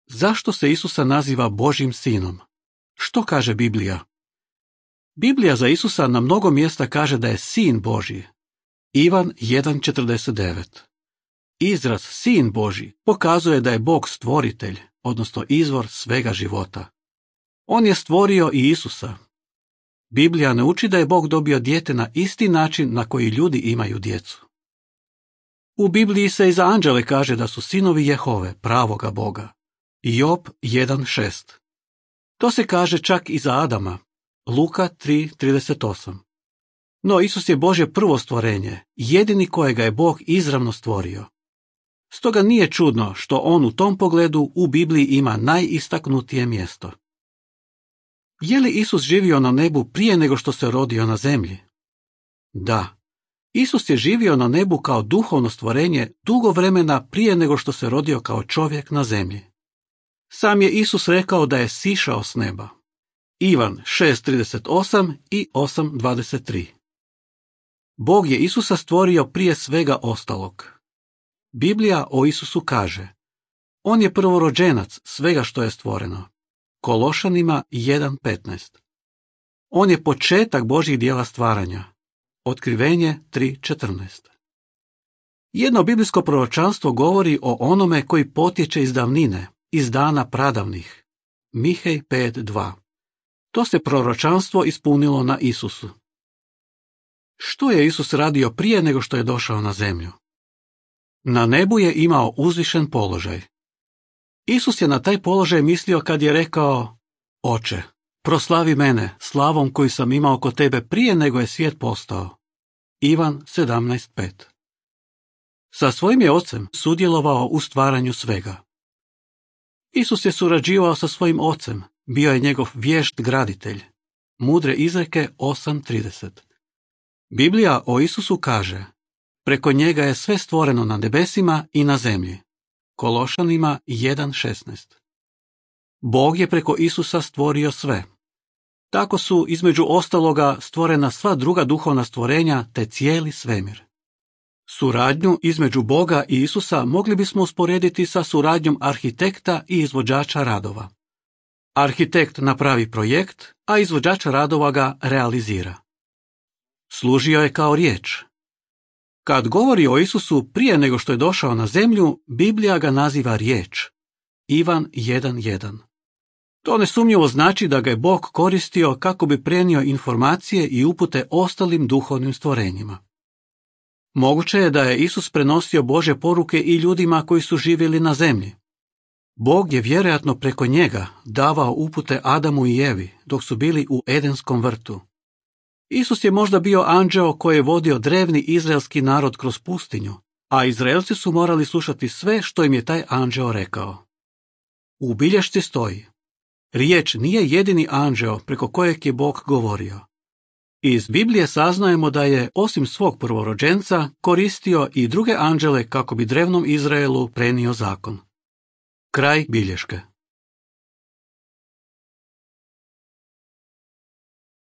Zašto se Isusa naziva Božjim sinom? Što kaže Biblija? Biblija za Isusa na mnogo mjesta kaže da je sin Božji. Ivan 1.49. Izraz sin Božji pokazuje da je Bog stvoritelj, odnosno izvor svega života. On je stvorio i Isusa. Biblija ne uči da je Bog dobio dijete na isti način na koji ljudi imaju djecu. U Bibliji se i za anđele kaže da su sinovi Jehove, pravoga Boga. Job 1.6. To se kaže čak i za Adama. Luka 3.38. No Isus je Božje prvo stvorenje, jedini kojega je Bog izravno stvorio. Stoga nije čudno što on u tom pogledu u Bibliji ima najistaknutije mjesto. Je li Isus živio na nebu prije nego što se rodio na zemlji? Da. Isus je živio na nebu kao duhovno stvorenje dugo vremena prije nego što se rodio kao čovjek na zemlji. Sam je Isus rekao da je sišao s neba. Ivan 6.38 i 8.23. Bog je Isusa stvorio prije svega ostalog. Biblija o Isusu kaže: on je prvorođenac svega što je stvoreno. Kološanima 1.15. On je početak Božjih djela stvaranja. Otkrivenje 3.14. Jedno biblijsko proročanstvo govori o onome koji potječe iz davnine, iz dana pradavnih. Mihej 5.2. To se proročanstvo ispunilo na Isusu. Što je Isus radio prije nego što je došao na zemlju? Na nebu je imao uzvišen položaj. Isus je na taj položaj mislio kad je rekao: Oče, proslavi mene slavom koju sam imao kod tebe prije nego je svijet postao. Ivan 17.5. Sa svojim je ocem sudjelovao u stvaranju svega. Isus je surađivao sa svojim ocem, bio je njegov vješt graditelj. Mudre izreke 8.30. Biblija o Isusu kaže: preko njega je sve stvoreno na nebesima i na zemlji. Kološanima 1.16. Bog je preko Isusa stvorio sve. Tako su između ostaloga stvorena sva druga duhovna stvorenja te cijeli svemir. Suradnju između Boga i Isusa mogli bismo usporediti sa suradnjom arhitekta i izvođača radova. Arhitekt napravi projekt, a izvođač radova ga realizira. Služio je kao riječ. Kad govori o Isusu prije nego što je došao na zemlju, Biblija ga naziva riječ. Ivan 1.1. To nesumnjivo znači da ga je Bog koristio kako bi prenio informacije i upute ostalim duhovnim stvorenjima. Moguće je da je Isus prenosio Božje poruke i ljudima koji su živjeli na zemlji. Bog je vjerojatno preko njega davao upute Adamu i Evi dok su bili u Edenskom vrtu. Isus je možda bio anđeo koji je vodio drevni izraelski narod kroz pustinju, a Izraelci su morali slušati sve što im je taj anđeo rekao. U bilješci stoji: riječ nije jedini anđeo preko kojeg je Bog govorio. Iz Biblije saznajemo da je, osim svog prvorođenca, koristio i druge anđele kako bi drevnom Izraelu prenio zakon. Kraj bilješke.